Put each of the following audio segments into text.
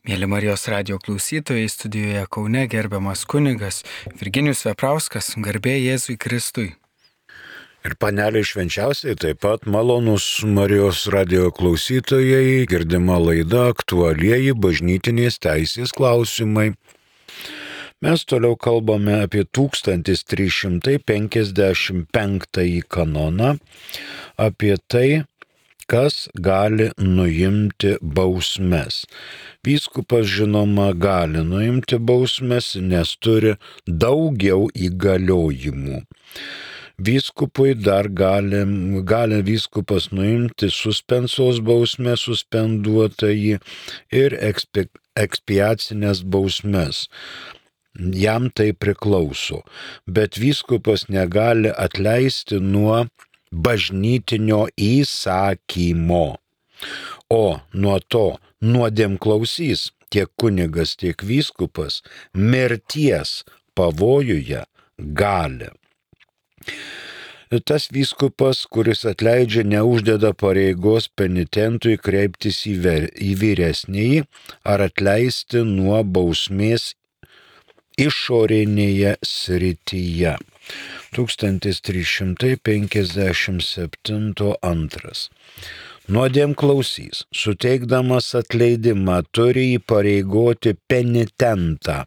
Mėly Marijos radio klausytojai, studijoje Kaune gerbiamas kunigas Virginijus Veprauskas, garbė Jėzui Kristui. Ir paneliai švenčiausiai taip pat malonus Marijos radio klausytojai, girdima laida aktualieji bažnytinės teisės klausimai. Mes toliau kalbame apie 1355 kanoną, apie tai, kas gali nuimti bausmes. Vyskupas, žinoma, gali nuimti bausmes, nes turi daugiau įgaliojimų. Vyskupui dar gali vyskupas nuimti suspensos bausmę, suspenduotąjį ir ekspiacinės bausmes. Jam tai priklauso, bet vyskupas negali atleisti nuo bažnytinio įsakymo. O nuo to nuodėmklausys tiek kunigas, tiek vyskupas mirties pavojuje gali. Tas vyskupas, kuris atleidžia, neuždeda pareigos penitentui kreiptis į vyresnįjį ar atleisti nuo bausmės išorinėje srityje. 1357 Nuodėmklausys, suteikdamas atleidimą, turi įpareigoti penitentą,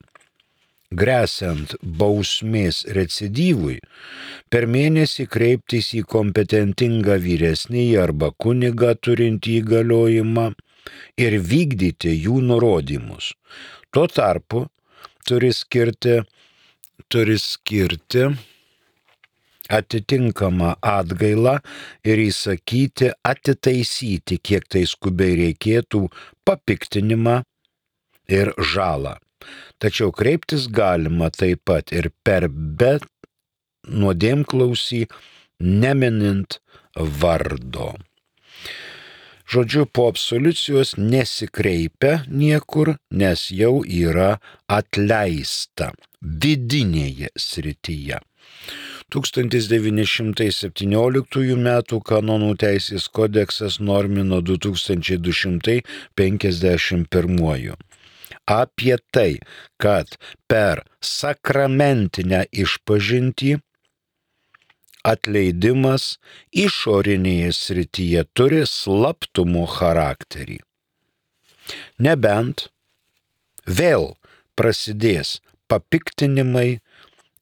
gresiant bausmės recidyvui, per mėnesį kreiptis į kompetentingą vyresnįjį arba kunigą turintį įgaliojimą ir vykdyti jų nurodymus. Tuo tarpu turi skirti atitinkamą atgailą ir įsakyti atitaisyti, kiek tai skubiai reikėtų, papiktinimą ir žalą. Tačiau kreiptis galima taip pat ir per bet nuodėmklausį, neminint vardo. Žodžiu, po absoliucijos nesikreipia niekur, nes jau yra atleista vidinėje srityje. 1917 m. kanonų teisės kodeksas normino 2251. Apie tai, kad per sakramentinę išpažintį atleidimas išorinėje srityje turi slaptumo charakterį. Nebent vėl prasidės papiktinimai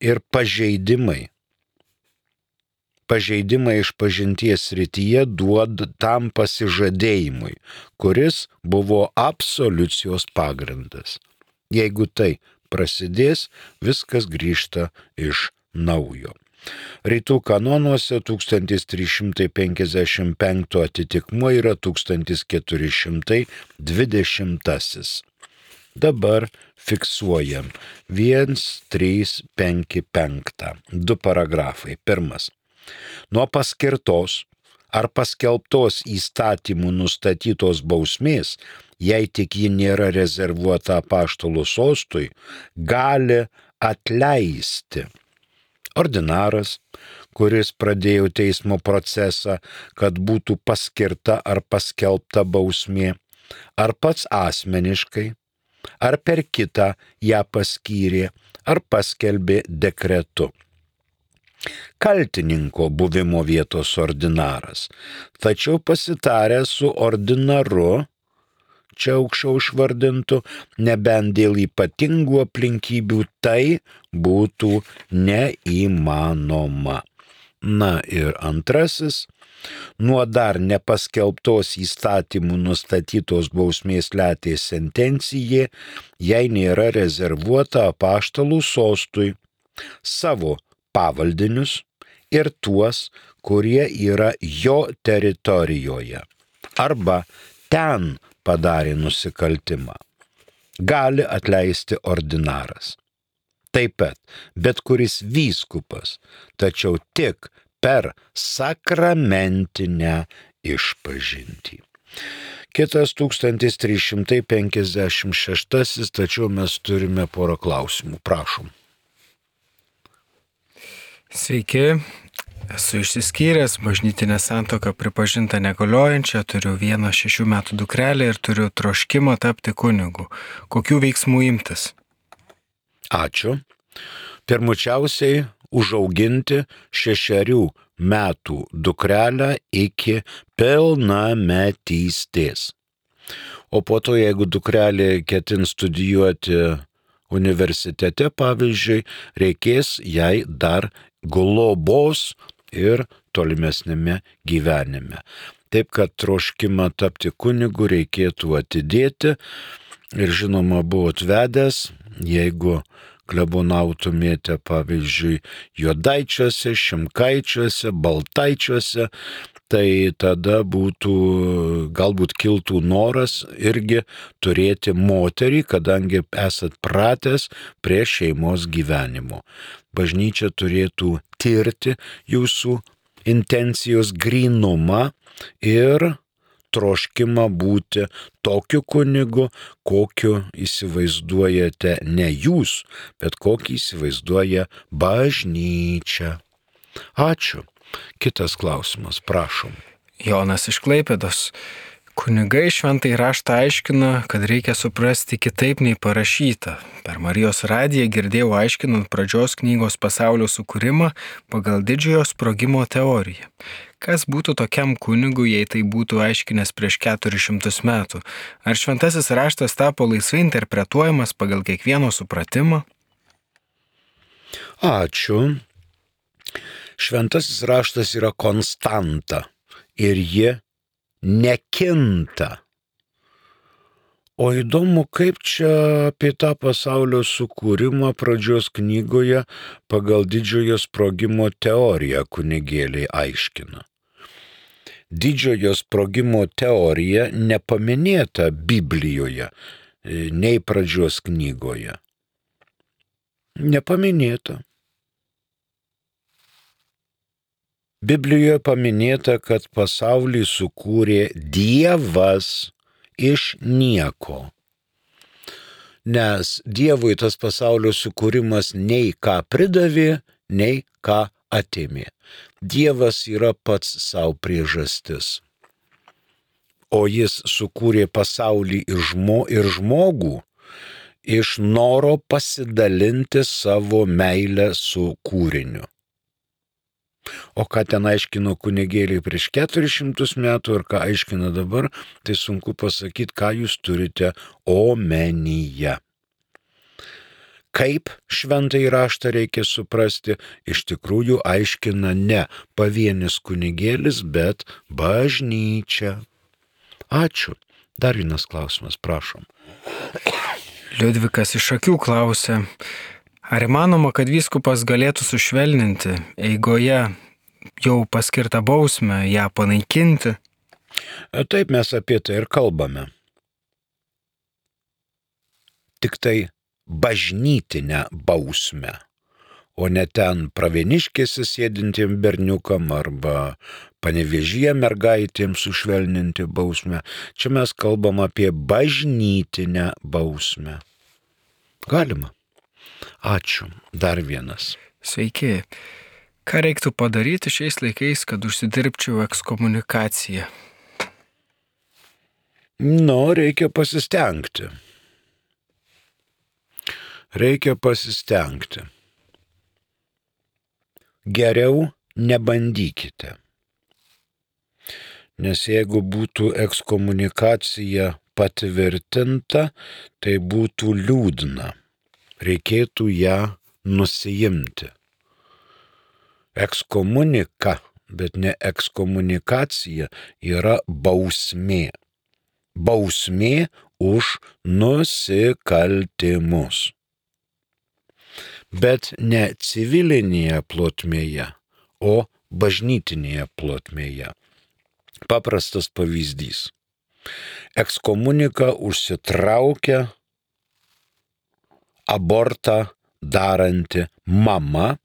ir pažeidimai. Pažeidimai išpažinties srityje duoda tam pasižadėjimui, kuris buvo absoliucijos pagrindas. Jeigu tai prasidės, viskas grįžta iš naujo. Rytų kanonuose 1355 atitikmuo yra 1420. Dabar fiksuojam 1355. 2 paragrafai. Pirmas. Nuo paskirtos ar paskelbtos įstatymų nustatytos bausmės, jei tik ji nėra rezervuota apaštalų sostui, gali atleisti ordinaras, kuris pradėjo teismo procesą, kad būtų paskirta ar paskelbta bausmė, ar pats asmeniškai, ar per kitą ją paskyrė, ar paskelbė dekretu. Kaltininko buvimo vietos ordinaras, tačiau pasitaręs su ordinaru, čia aukščiau išvardintų, nebent dėl ypatingų aplinkybių, tai būtų neįmanoma. Na ir antrasis, nuo dar nepaskelbtos įstatymų nustatytos bausmės letės sentencijai, jei nėra rezervuota apaštalų sostui, savo pavaldinius ir tuos, kurie yra jo teritorijoje, arba ten padarė nusikaltimą, gali atleisti ordinaras. Taip pat bet kuris vyskupas, tačiau tik per sakramentinę išpažintį. Kitas 1356, tačiau mes turime porą klausimų. Prašom. Sveiki, Esu išsiskyręs, bažnytinė santuoka pripažinta negaliojančia, turiu 6 metų dukrelę ir turiu troškimą tapti kunigu. Kokių veiksmų imtis? Ačiū. Pirmučiausiai užauginti 6 metų dukrelę iki pilnametystės. O po to, jeigu dukrelė ketin studijuoti universitete, pavyzdžiui, reikės jai dar globos ir tolimesnėme gyvenime. Taip, kad troškimą tapti kunigu reikėtų atidėti ir žinoma buvot vedęs, jeigu klebonautumėte, pavyzdžiui, Juodaičiuose, Šimkaičiuose, Baltaičiuose, tai tada galbūt kiltų noras irgi turėti moterį, kadangi esat pratęs prie šeimos gyvenimo. Bažnyčia turėtų tirti jūsų intencijos grynumą ir troškimą būti tokiu kunigu, kokiu įsivaizduojate ne jūs, bet kokį įsivaizduoja bažnyčia. Ačiū. Kitas klausimas, prašom. Jonas iš Klaipėdos. Kunigai šventąjį raštą aiškina, kad reikia suprasti kitaip nei parašyta. Per Marijos radiją girdėjau aiškinant pradžios knygos pasaulio sukūrimą pagal didžiojo sprogimo teoriją. Kas būtų tokiam kunigui, jei tai būtų aiškinęs prieš 400 metų? Ar šventasis raštas tapo laisvai interpretuojamas pagal kiekvieno supratimą? Ačiū. Šventasis raštas yra konstanta ir ji nekinta. O įdomu, kaip čia apie tą pasaulio sukūrimą pradžios knygoje pagal didžiojo sprogimo teoriją kunigėliai aiškina. Didžiojo sprogimo teorija nepaminėta Biblijoje, nei pradžios knygoje. Nepaminėta. Biblijoje paminėta, kad pasaulį sukūrė Dievas iš nieko. Nes Dievui tas pasaulio sukūrimas nei ką pridavė, nei ką atėmė. Dievas yra pats savo priežastis. O jis sukūrė pasaulį ir žmogų iš noro pasidalinti savo meilę su kūriniu. O ką ten aiškino kunigėliai prieš 400 metų ir ką aiškina dabar, tai sunku pasakyti, ką jūs turite omenyje. Kaip šventąjį raštą reikia suprasti, iš tikrųjų aiškina ne pavienis kunigėlis, bet bažnyčia. Ačiū. Dar vienas klausimas, prašom. Liudvikas iš Akių klausia, ar įmanoma, kad vyskupas galėtų sušvelninti eigoje jau paskirtą bausmę, ją panaikinti? Taip, mes apie tai ir kalbame. Tik tai bažnytinę bausmę, o ne ten pravieniškėse sėdintiem berniukam arba Panevėžyje mergaitėms sušvelninti bausmę. Čia mes kalbam apie bažnytinę bausmę. Galima. Ačiū. Dar vienas. Sveiki. Ką reiktų padaryti šiais laikais, kad užsidirbčiau ekskomunikaciją? Reikia pasistengti. Geriau nebandykite. Nes jeigu būtų ekskomunikacija patvirtinta, tai būtų liūdna. Reikėtų ją nusiimti. Ekskomunika, bet ne ekskomunikacija, yra bausmė. Bausmė už nusikaltimus. Bet ne civilinėje plotmėje, o bažnytinėje plotmėje. Paprastas pavyzdys. Ekskomunika užsitraukia abortą daranti mama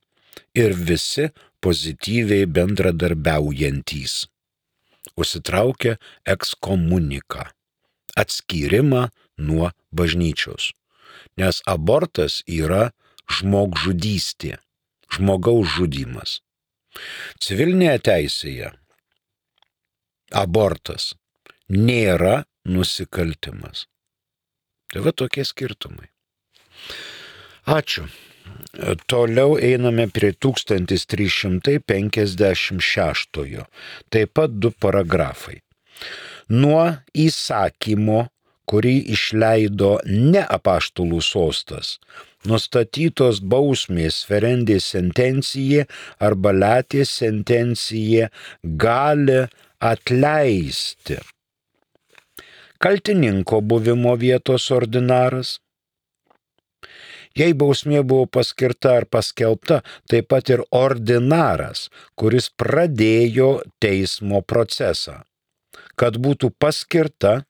ir visi pozityviai bendradarbiaujantys. Užsitraukia ekskomuniką, atskyrimą nuo bažnyčios. Nes abortas yra žmogžudystė, žmogaus žudymas. Civilinėje teisėje abortas nėra nusikaltimas. Tai va tokie skirtumai. Ačiū. Toliau einame prie 1356. Taip pat 2 paragrafai. Nuo įsakymo, kurį išleido ne apaštalų sostas, nustatytos bausmės ferendė sentencija arba latė sentencija gali atleisti kaltininko buvimo vietos ordinaras. Jei bausmė buvo paskirta ar paskelbta, taip pat ir ordinaras, kuris pradėjo teismo procesą, kad būtų paskirta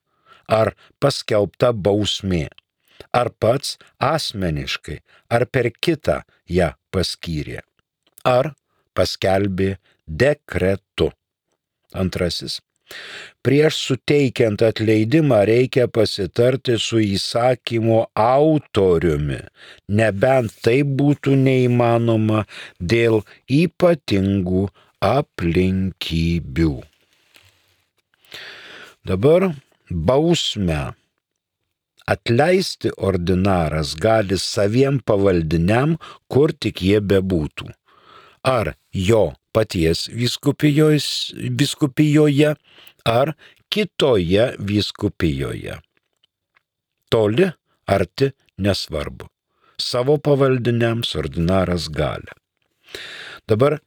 ar paskelbta bausmė, ar pats asmeniškai, ar per kitą ją paskyrė, ar paskelbė dekretu. Antrasis. Prieš suteikiant atleidimą reikia pasitarti su įsakymo autoriumi, nebent tai būtų neįmanoma dėl ypatingų aplinkybių. Dabar bausmę atleisti ordinaras gali saviem pavaldiniam, kur tik jie bebūtų. Ar jo paties vyskupijoje, ar kitoje vyskupijoje. Toli, arti, nesvarbu. Savo pavaldiniams ordinaras gali. Dabar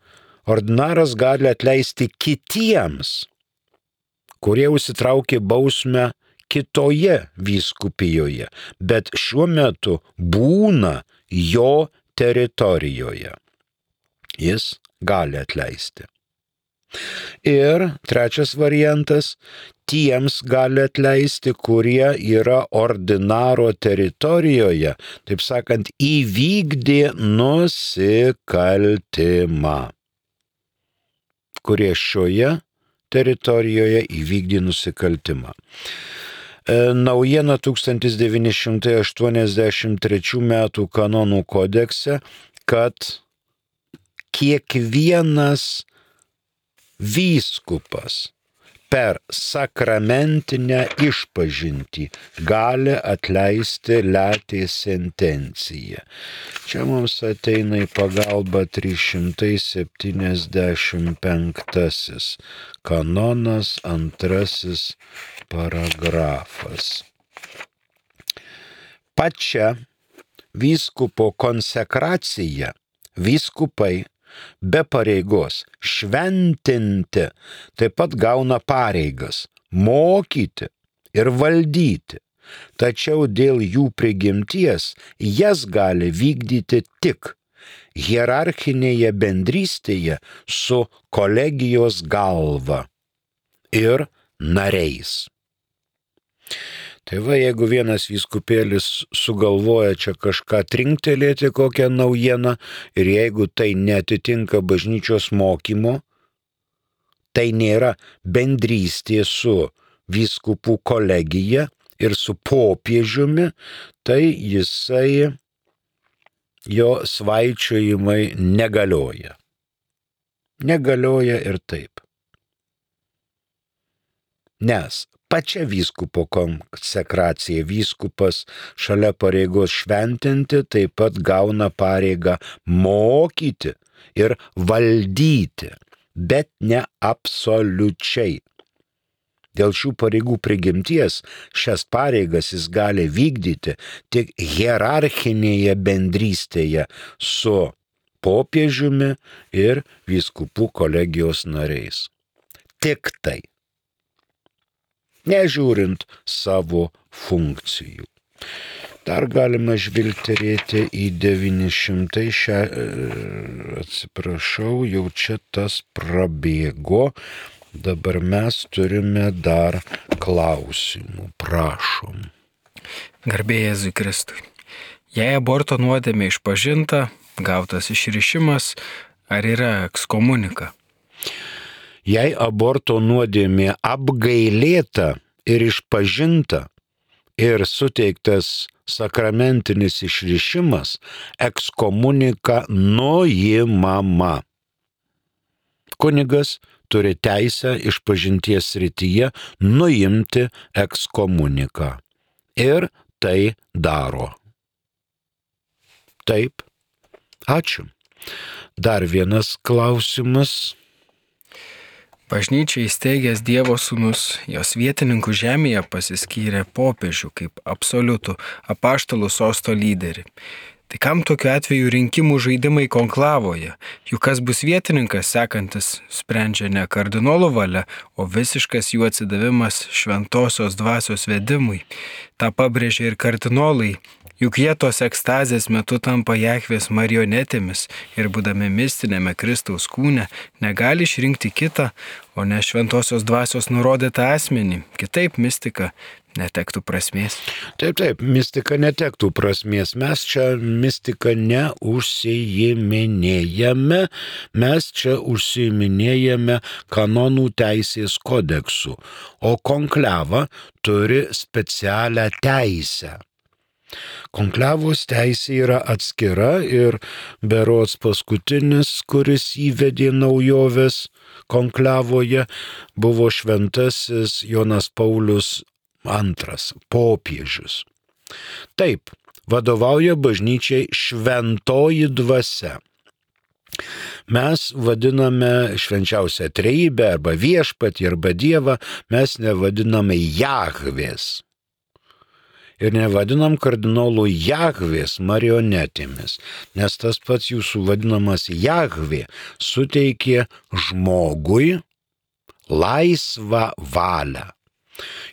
ordinaras gali atleisti kitiems, kurie užsitraukė bausmę kitoje vyskupijoje, bet šiuo metu būna jo teritorijoje. Jis gali atleisti. Ir trečias variantas, tiems gali atleisti, kurie yra ordinaro teritorijoje, taip sakant, įvykdė nusikaltimą, kurie šioje teritorijoje įvykdė nusikaltimą. Naujiena 1983 metų kanonų kodekse, kad kiekvienas vyskupas per sakramentinę išpažintį gali atleisti latė sentenciją. Čia mums ateina į pagalbą 375 kanonas, 2 paragrafas. Pačia vyskupo konsekracija vyskupai be pareigos šventinti taip pat gauna pareigas mokyti ir valdyti, tačiau dėl jų prigimties jas gali vykdyti tik hierarchinėje bendrystėje su kolegijos galva ir nariais. Tai va, jeigu vienas vyskupėlis sugalvoja čia kažką trinktelėti, kokią naujieną, ir jeigu tai netitinka bažnyčios mokymo, tai nėra bendrystė su vyskupų kolegija ir su popiežiumi, tai jo svaičiojimai negalioja. Negalioja ir taip. Nes pačia vyskupo konsekracija vyskupas šalia pareigos šventinti taip pat gauna pareigą mokyti ir valdyti, bet ne absoliučiai. Dėl šių pareigų prigimties šias pareigas jis gali vykdyti tik hierarchinėje bendrystėje su popiežiumi ir vyskupų kolegijos nariais. Tik tai. Nežiūrint savo funkcijų. Dar galima žvilgterėti į 900, jau čia tas prabėgo, dabar mes turime dar klausimų, prašom. Garbė Jėzui Kristui. Jei aborto nuodėmė išpažinta, gautas išrišimas, ar yra ekskomunika? Jei aborto nuodėmė apgailėta ir išpažinta ir suteiktas sakramentinis išrišimas, ekskomunika nuimama. Kunigas turi teisę išpažinties srityje nuimti ekskomuniką. Ir tai daro. Taip. Ačiū. Dar vienas klausimas. Bažnyčia įsteigęs Dievo sūnus, jos vietininkų žemėje pasiskyrė popiežių kaip absoliutų apaštalų sosto lyderį. Tai kam tokiu atveju rinkimų žaidimai konklavoje? Juk kas bus vietininkas sekantis sprendžia ne kardinolų valia, o visiškas jų atsidavimas šventosios dvasios vedimui. Ta pabrėžia ir kardinolai. Juk jie tos ekstazės metu tampa Jahvės marionetėmis ir būdami mistinėme Kristaus kūne negali išrinkti kitą, o ne šventosios dvasios nurodytą asmenį. Kitaip mistika netektų prasmės. Taip, mistika netektų prasmės. Mes čia mistika neužsiiminėjame, mes čia užsiiminėjame kanonų teisės kodeksu, o konklava turi specialią teisę. Konklavos teisė yra atskira ir berods paskutinis, kuris įvedė naujoves konklavoje, buvo šventasis Jonas Paulius II, popiežius. Taip, vadovauja bažnyčiai šventoji dvasia. Mes vadiname švenčiausią trejybę arba viešpatį arba Dievą, mes nevadiname Jahvės. Ir nevadinam kardinolų Jahvės marionetėmis, nes tas pats jūsų vadinamas Jahvė suteikė žmogui laisvą valią.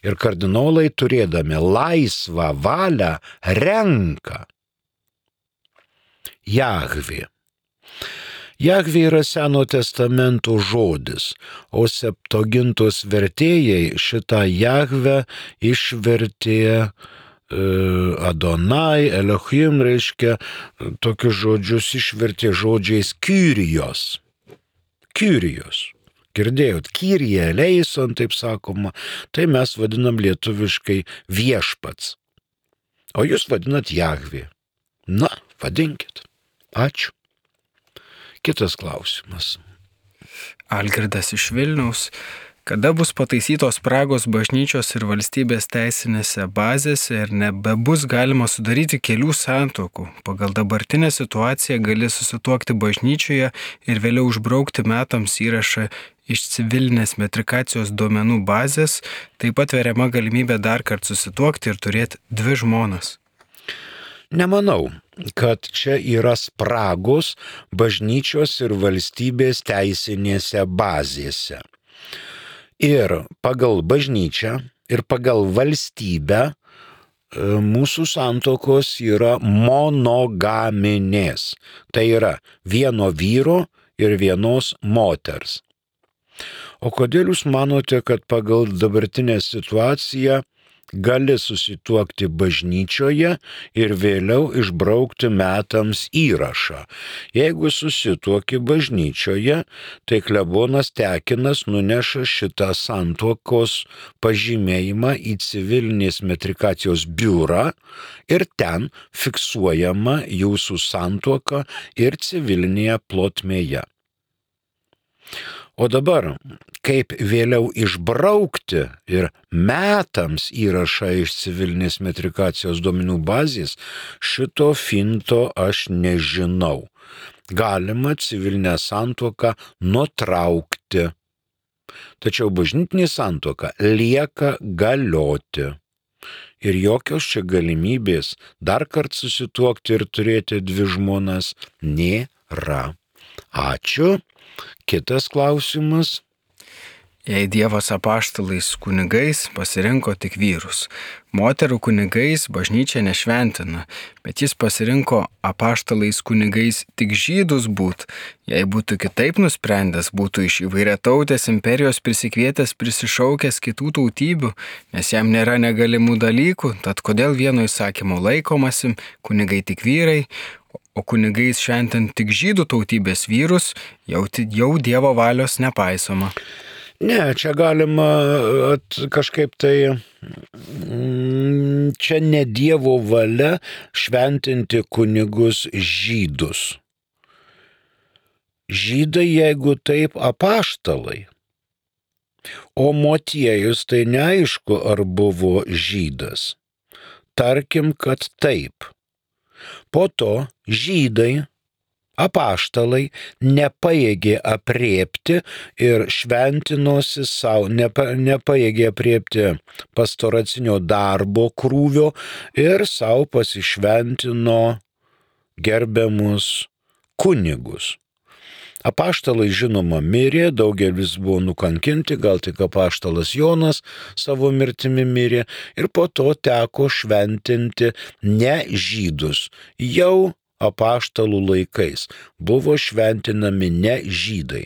Ir kardinolai turėdami laisvą valią renka Jahvė. Jahvė yra Seno testamento žodis, o Septuagintos vertėjai šitą Jahvę išvertė Adonai, Elohim, reiškia, tokius žodžius išvertė žodžiais Kyrijos. Kyrijos. Girdėjot, Kyrie eleison, taip sakoma, tai mes vadinam lietuviškai viešpats. O jūs vadinat Jahvė. Na, vadinkit. Ačiū. Kitas klausimas. Algirdas iš Vilniaus. Kada bus pataisytos spragos bažnyčios ir valstybės teisinėse bazėse ir nebebus galima sudaryti kelių santuokų? Pagal dabartinę situaciją gali susituokti bažnyčioje ir vėliau užbraukti metams įrašą iš civilinės metrikacijos duomenų bazės, taip pat veriama galimybė dar kartą susituokti ir turėti 2 žmonas. Nemanau, kad čia yra spragos bažnyčios ir valstybės teisinėse bazėse. Ir pagal bažnyčią, ir pagal valstybę mūsų santuokos yra monogaminės. Tai yra vieno vyro ir vienos moters. O kodėl jūs manote, kad pagal dabartinę situaciją gali susituokti bažnyčioje ir vėliau išbraukti metams įrašą? Jeigu susituoki bažnyčioje, tai klebonas Tekinas nuneša šitą santuokos pažymėjimą į civilinės metrikacijos biurą ir ten fiksuojama jūsų santuoka ir civilinėje plotmėje. O dabar, kaip vėliau išbraukti ir metams įrašą iš civilinės metrikacijos duomenų bazės, šito finto aš nežinau. Galima civilinę santuoką nutraukti, tačiau bažnytinė santuoka lieka galioti. Ir jokios čia galimybės dar kartą susituokti ir turėti 2 žmonas nėra. Ačiū. Kitas klausimas. Jei Dievas apaštalais kunigais pasirinko tik vyrus, moterų kunigais bažnyčia nešventina, bet jis pasirinko apaštalais kunigais tik žydus būt, jei būtų kitaip nusprendęs, būtų iš įvairiatautės imperijos prisikvietęs prisišaukęs kitų tautybių, nes jam nėra negalimų dalykų, tad kodėl vieno įsakymo laikomasi, kunigai tik vyrai, o kunigais šventinti tik žydų tautybės vyrus, jau Dievo valios nepaisoma. Ne, čia galima kažkaip tai, čia ne Dievo valia šventinti kunigus žydus. Žydai, jeigu taip, apaštalai. O Motiejus tai neaišku, ar buvo žydas. Tarkim, kad taip. Po to žydai, apaštalai nepajėgė apriepti ir šventinosi savo, nepajėgė apriepti pastoracinio darbo krūvio ir savo pasišventino gerbiamus kunigus. Apaštalai žinoma mirė, daugelis buvo nukankinti, gal tik apaštalas Jonas savo mirtimi mirė ir po to teko šventinti ne žydus. Jau apaštalų laikais buvo šventinami ne žydai.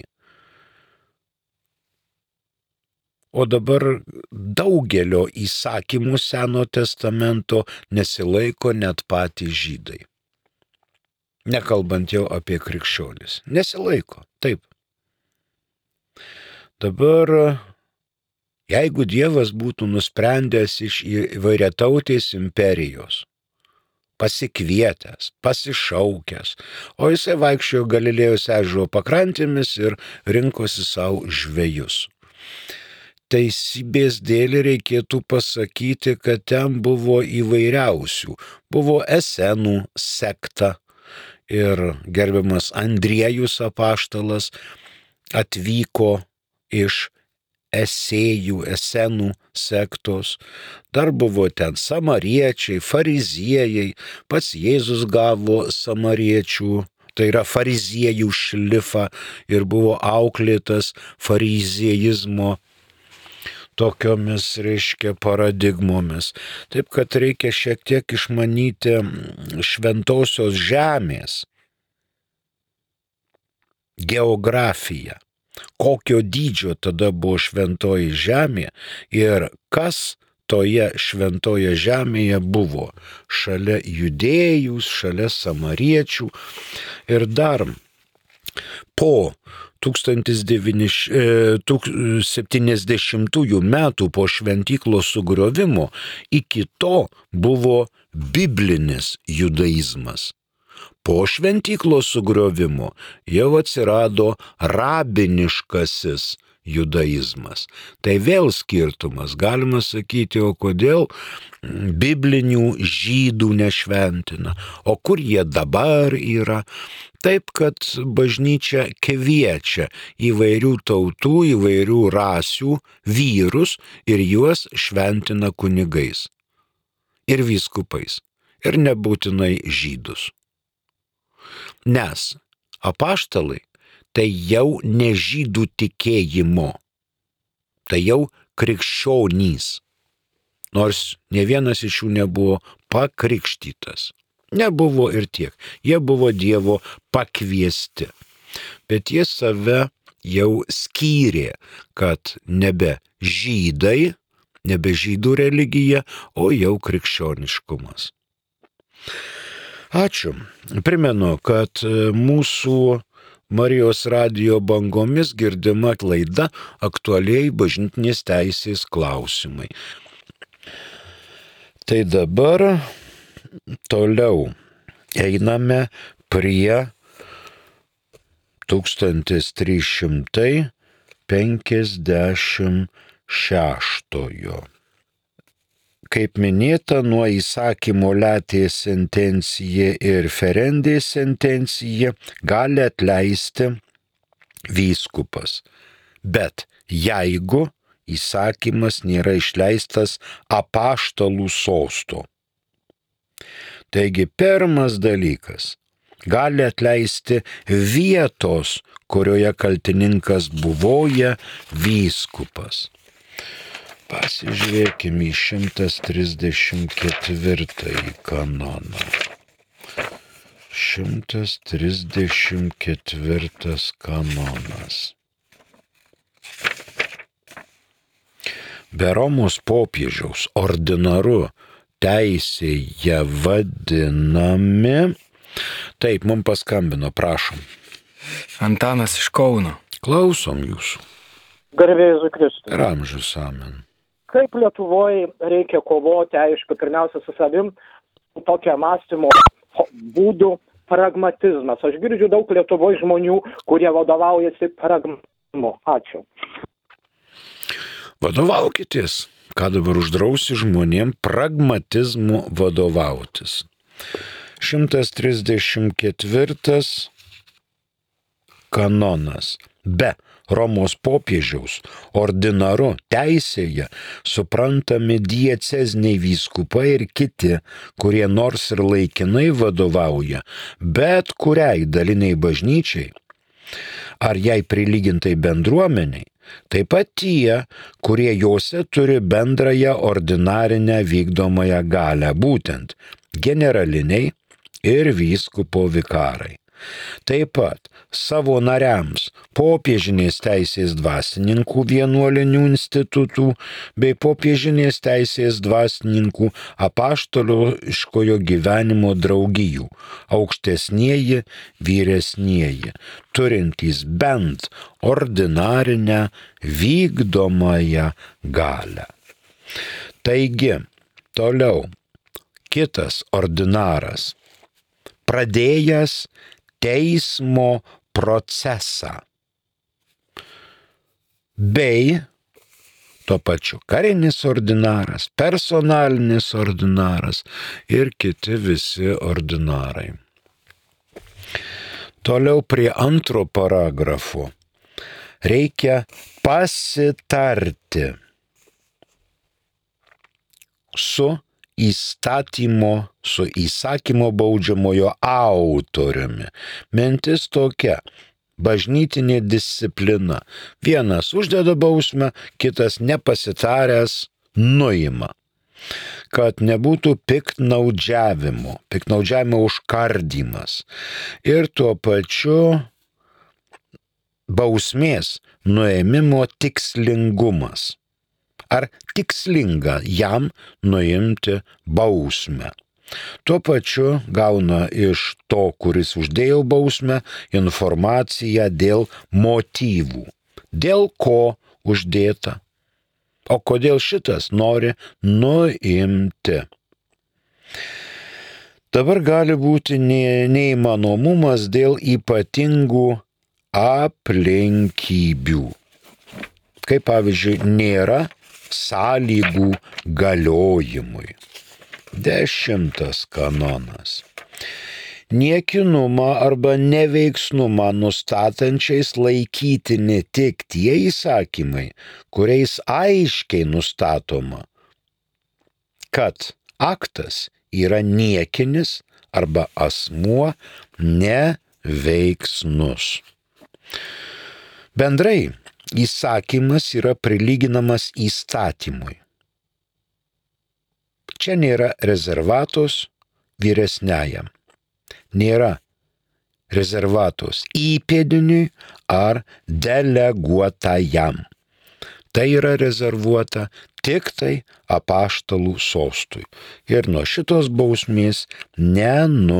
O dabar daugelio įsakymų Seno testamento nesilaiko net patys žydai. Nekalbant jau apie krikščionis. Nesilaiko, taip. Dabar, jeigu Dievas būtų nusprendęs iš įvairiatautės imperijos, pasikvietęs, pasišaukęs, o jisai vaikščiojo Galilėjos ežero pakrantėmis ir rinkosi savo žvejus. Teisybės dėlį reikėtų pasakyti, kad ten buvo įvairiausių. Buvo Esenų sekta. Ir gerbiamas Andriejus apaštalas atvyko iš Esenų sektos. Dar buvo ten samariečiai, fariziejai, pats Jėzus gavo samariečių, tai yra fariziejų šlifą ir buvo auklėtas fariziejizmo tokiomis, paradigmomis. Taip, kad reikia šiek tiek išmanyti šventosios žemės geografiją, kokio dydžio tada buvo šventoji žemė ir kas toje šventoje žemėje buvo šalia judėjus, šalia samariečių ir dar po 1070 metų po šventyklos sugriovimo iki to buvo biblinis judaizmas. Po šventyklos sugriovimo jau atsirado rabiniškasis judaizmas. Tai vėl skirtumas, galima sakyti, o kodėl biblinių žydų nešventina, o kur jie dabar yra. Taip, kad bažnyčia kviečia įvairių tautų, įvairių rasių vyrus ir juos šventina kunigais ir vyskupais ir nebūtinai žydus. Nes apaštalai tai jau ne žydų tikėjimo, tai jau krikščionys, nors ne vienas iš jų nebuvo pakrikštytas. Nebuvo ir tiek, jie buvo Dievo pakviesti, bet jie save jau skyrė, kad nebe žydai, nebe žydų religija, o jau krikščioniškumas. Ačiū. Primenu, kad mūsų Marijos radijo bangomis girdima laida aktualiai bažnytinės teisės klausimai. Tai dabar toliau einame prie 1356. Kaip minėta, nuo įsakymo letė sentencija ir ferendė sentencija gali atleisti vyskupas. Bet jeigu įsakymas nėra išleistas apaštalų sosto. Taigi pirmas dalykas – gali atleisti vietos, kurioje kaltininkas buvoja vyskupas. Pasižiūrėkime į 134 kanoną. 134 kanonas. Be Romos popiežiaus ordinaru teisėje vadinami. Taip, mums paskambino, prašom. Antanas iš Kauno. Klausom jūsų. Garbė Jėzui Kristui. Ir amžius amen. Kaip Lietuvoje reikia kovoti, aišku, pirmiausia su savim, tokia mąstymo būdų, pragmatizmas. Aš girdžiu daug Lietuvoje žmonių, kurie vadovaujasi pragmatizmu. Ačiū. Vadovaukitės. Ką dabar uždrausi žmonėm pragmatizmu vadovautis. 134 kanonas. Be Romos popiežiaus ordinaru teisėje suprantami dieceziniai vyskupai ir kiti, kurie nors ir laikinai vadovauja bet kuriai daliniai bažnyčiai ar jai prilygintai bendruomeniai, taip pat tie, kurie jose turi bendrąją ordinarinę vykdomąją galią, būtent generaliniai ir vyskupo vikarai. Taip pat savo nariams popiežinės teisės dvasininkų vienuolinių institutų bei popiežinės teisės dvasininkų apaštališkojo gyvenimo draugijų, aukštesnieji, vyresnieji, turintys bent ordinarinę vykdomąją galią. Taigi, toliau, kitas ordinaras, pradėjęs teismo procesą bei tuo pačiu karinis ordinaras, personalinis ordinaras ir kiti visi ordinarai. Toliau prie antro paragrafo reikia pasitarti su įsakymo baudžiamojo autoriumi. Mintis tokia: bažnytinė disciplina. Vienas uždeda bausmę, kitas nepasitaręs nuima. Kad nebūtų piktnaudžiavimo užkardymas. Ir tuo pačiu bausmės nuėmimo tikslingumas. Ar tikslinga jam nuimti bausmę. Tuo pačiu gauna iš to, kuris uždėjo bausmę, informaciją dėl motyvų. Dėl ko uždėta. O kodėl šitas nori nuimti. Dabar gali būti neįmanomumas dėl ypatingų aplinkybių. Kaip pavyzdžiui, nėra sąlygų galiojimui. 10 kanonas. Niekinumą arba neveiksnumą nustatančiais laikytini tik tie įsakymai, kuriais aiškiai nustatoma, kad aktas yra niekinis arba asmuo neveiksnus. Bendrai, įsakymas yra prilyginamas įstatymui. Čia nėra rezervatos vyresniajam, nėra rezervatos įpėdiniui ar deleguotajam. Tai yra rezervuota tik tai apaštalų sostui ir nuo šitos bausmės nenuimama.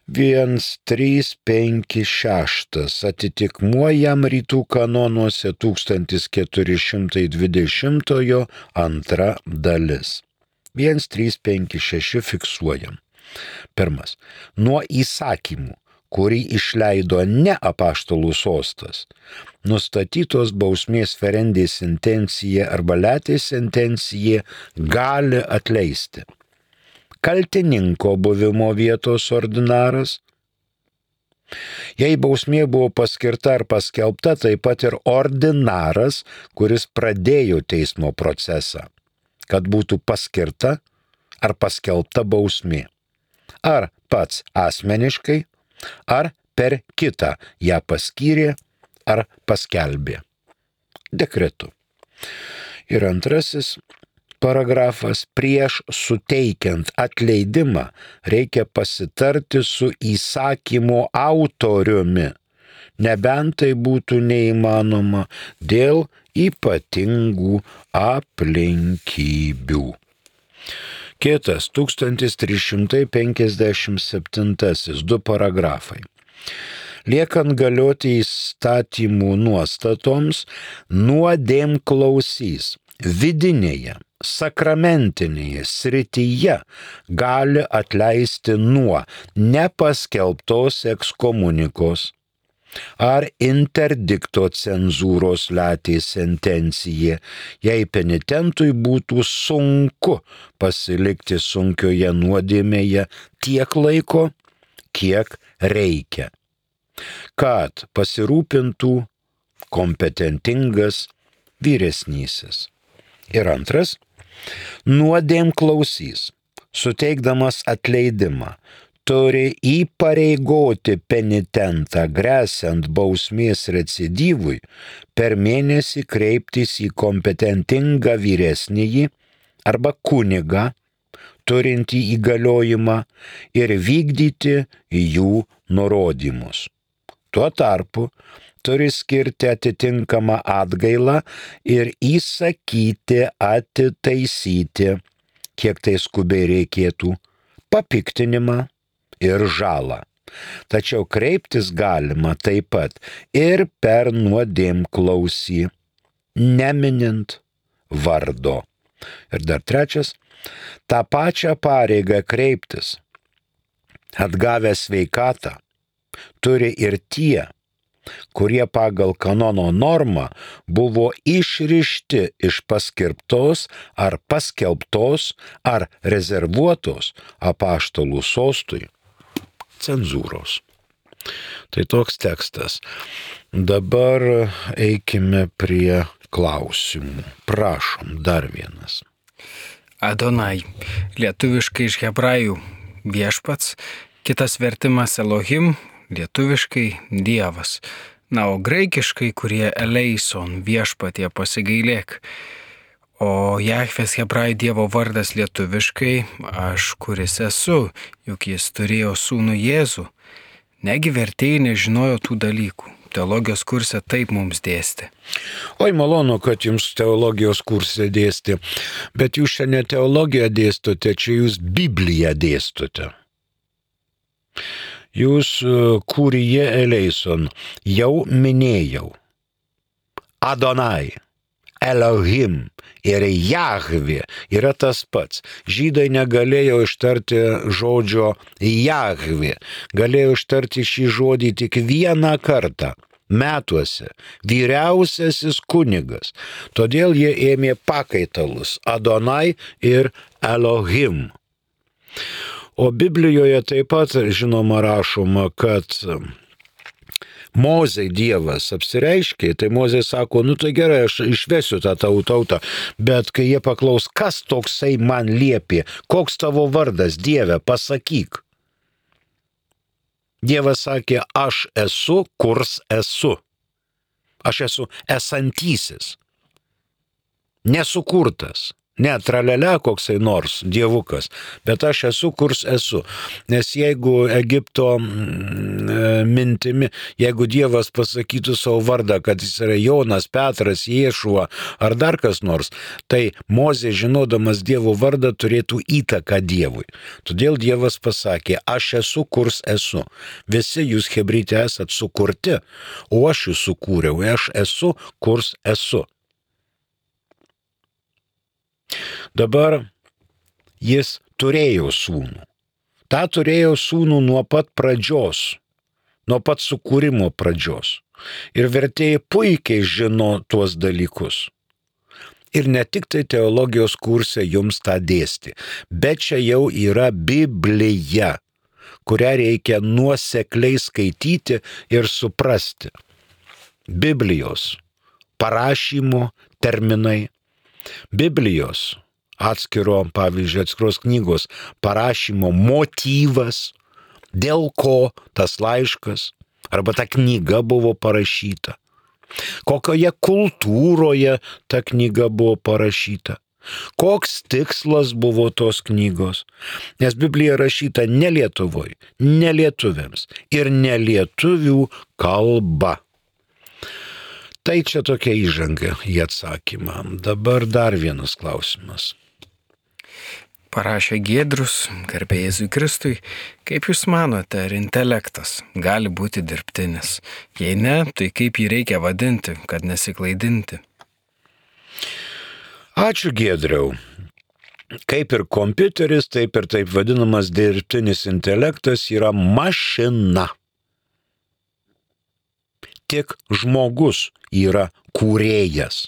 1356 atitikmuo jam rytų kanonuose 1420 antra dalis. 1356 fiksuojam. Pirmas. Nuo įsakymų, kurį išleido ne apaštalų sostas, nustatytos bausmės ferendės sentencija arba letės sentencija gali atleisti. Kaltininko buvimo vietos ordinaras. Jei bausmė buvo paskirta ar paskelbta, taip pat ir ordinaras, kuris pradėjo teismo procesą, kad būtų paskirta ar paskelbta bausmė. Ar pats asmeniškai, ar per kitą ją paskyrė ar paskelbė. Dekretu. Ir antrasis paragrafas: prieš suteikiant atleidimą reikia pasitarti su įsakymo autoriumi, nebent tai būtų neįmanoma dėl ypatingų aplinkybių. Kitas 1357, 2 paragrafai. Liekant galioti įstatymų nuostatoms, nuodėmklausys vidinėje, sakramentinėje srityje gali atleisti nuo nepaskelbtos ekskomunikos ar interdikto cenzūros latė sentencija, jei penitentui būtų sunku pasilikti sunkioje nuodėmėje tiek laiko, kiek reikia, kad pasirūpintų kompetentingas vyresnysis. Ir antras, nuodėmklausys, suteikdamas atleidimą, turi įpareigoti penitentą gresiant bausmės recidyvui per mėnesį kreiptis į kompetentingą vyresnįjį arba kunigą, turintį įgaliojimą ir vykdyti jų nurodymus. Tuo tarpu turi skirti atitinkamą atgailą ir įsakyti atitaisyti, kiek tai skubiai reikėtų, papiktinimą ir žalą. Tačiau kreiptis galima taip pat ir per nuodėmklausį, neminint vardo. Ir dar trečias, tą pačią pareigą kreiptis, atgavę sveikatą, turi ir tie, kurie pagal kanono normą buvo išrišti iš paskirptos ar paskelbtos ar rezervuotos apaštalų sostui cenzūros. Tai toks tekstas. Dabar eikime prie klausimų. Prašom, dar vienas. Adonai, lietuviškai iš hebrajų viešpats, kitas vertimas Elohim, lietuviškai Dievas. Na, o graikiškai, kurie Eleison, viešpatie pasigailėk. O Jahvės hebrajų Dievo vardas lietuviškai, aš kuris esu, juk jis turėjo sūnų Jėzų. Negi vertėjai nežinojo tų dalykų. Teologijos kurse taip mums dėstė. Oi, malonu, kad jums teologijos kurse dėstė, bet jūs čia ne teologiją dėstote, čia jūs Bibliją dėstote. Jūs Kurije Eleison jau minėjau. Adonai, Elohim ir Jahvė yra tas pats. Žydai negalėjo ištarti žodžio Jahvė. Galėjo ištarti šį žodį tik vieną kartą metuose. Vyriausiasis kunigas. Todėl jie ėmė pakaitalus Adonai ir Elohim. O Biblijoje taip pat, žinoma, rašoma, kad Mozei Dievas apsireiškė, tai Mozė sako, nu tai gerai, aš išvesiu tą tautą, bet kai jie paklaus, kas toksai man liepė, koks tavo vardas, Dieve, pasakyk. Dievas sakė, aš esu, kurs esu. Aš esu esantysis, nesukurtas. Ne tralelė koksai nors dievukas, bet aš esu, kurs esu. Nes jeigu Egipto mintimi, jeigu Dievas pasakytų savo vardą, kad jis yra Jonas, Petras, Ješua ar dar kas nors, tai Mozė, žinodamas Dievo vardą, turėtų įtaką Dievui. Todėl Dievas pasakė, aš esu, kurs esu. Visi jūs hebryte esat sukurti, o aš jūs sukūriau, aš esu, kurs esu. Dabar jis turėjo sūnų. Ta turėjo sūnų nuo pat pradžios, nuo pat sukūrimo pradžios. Ir vertėjai puikiai žino tuos dalykus. Ir ne tik tai teologijos kurse jums tą dėsti, bet čia jau yra Biblija, kurią reikia nuosekliai skaityti ir suprasti. Biblijos parašymo terminai, Biblijos atskiros knygos parašymo motyvas, dėl ko tas laiškas arba ta knyga buvo parašyta, kokioje kultūroje ta knyga buvo parašyta, koks tikslas buvo tos knygos, nes Biblija rašyta ne Lietuvoje, ne lietuviams ir ne lietuvių kalba. Tai čia tokia įžanga į atsakymą. Dabar dar vienas klausimas. Parašė Giedrius, garbė Jėzui Kristui, kaip jūs manote, ar intelektas gali būti dirbtinis? Jei ne, tai kaip jį reikia vadinti, kad nesiklaidinti? Ačiū, Giedriau. Kaip ir kompiuteris, taip ir taip vadinamas dirbtinis intelektas yra mašina. Tik žmogus yra kūrėjas.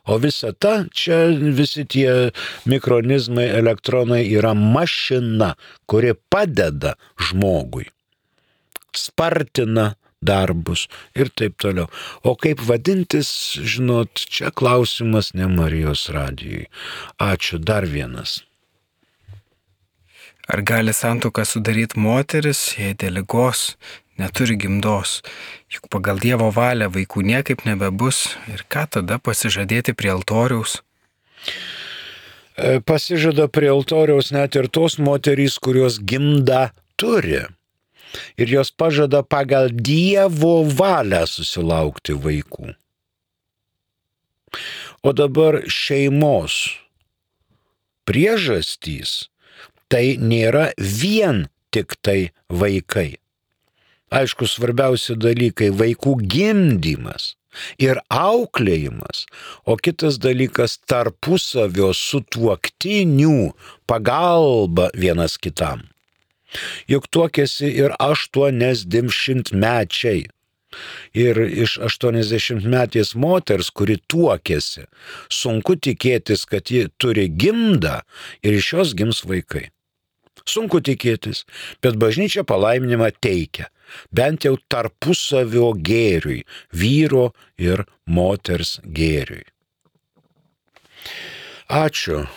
O visa ta, čia visi tie mikronizmai, elektronai yra mašina, kuri padeda žmogui, spartina darbus ir taip toliau. O kaip vadintis, žinot, čia klausimas ne Marijos radijui. Ačiū, dar vienas. Ar gali santuoką sudaryti moteris, jei dėl ligos neturi gimdos? Juk pagal Dievo valią vaikų niekaip nebebus. Ir ką tada pasižadėti prie altoriaus? Pasižada prie altoriaus net ir tos moterys, kurios gimdą turi. Ir jos pažada pagal Dievo valią susilaukti vaikų. O dabar šeimos priežastys tai nėra vien tik tai vaikai. Aišku, svarbiausi dalykai - vaikų gimdymas ir auklėjimas, o kitas dalykas - tarpusavio sutuoktinių pagalba vienas kitam. Juk tuokėsi ir 80-mečiai. Ir iš 80-metės moters, kuri tuokėsi, sunku tikėtis, kad ji turi gimdą ir iš jos gims vaikai. Sunku tikėtis, bet bažnyčia palaiminimą teikia, bent jau tarpusavio gėriui, vyro ir moters gėriui. Ačiū.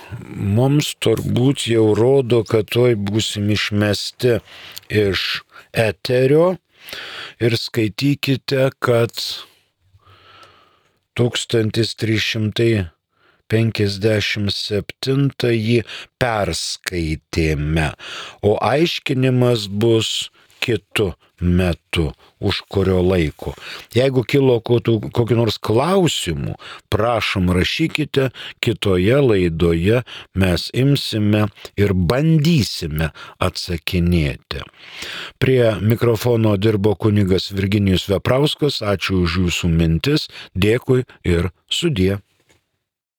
Mums turbūt jau rodo, kad tuoj būsim išmesti iš eterio ir skaitykite, kad 1357 perskaitėme, o aiškinimas bus kitu metu, už kurio laiko. Jeigu kilo kokių nors klausimų, prašom rašykite, kitoje laidoje mes imsime ir bandysime atsakinėti. Prie mikrofono dirbo kunigas Virginijus Veprauskas, ačiū už jūsų mintis, dėkui ir sudie.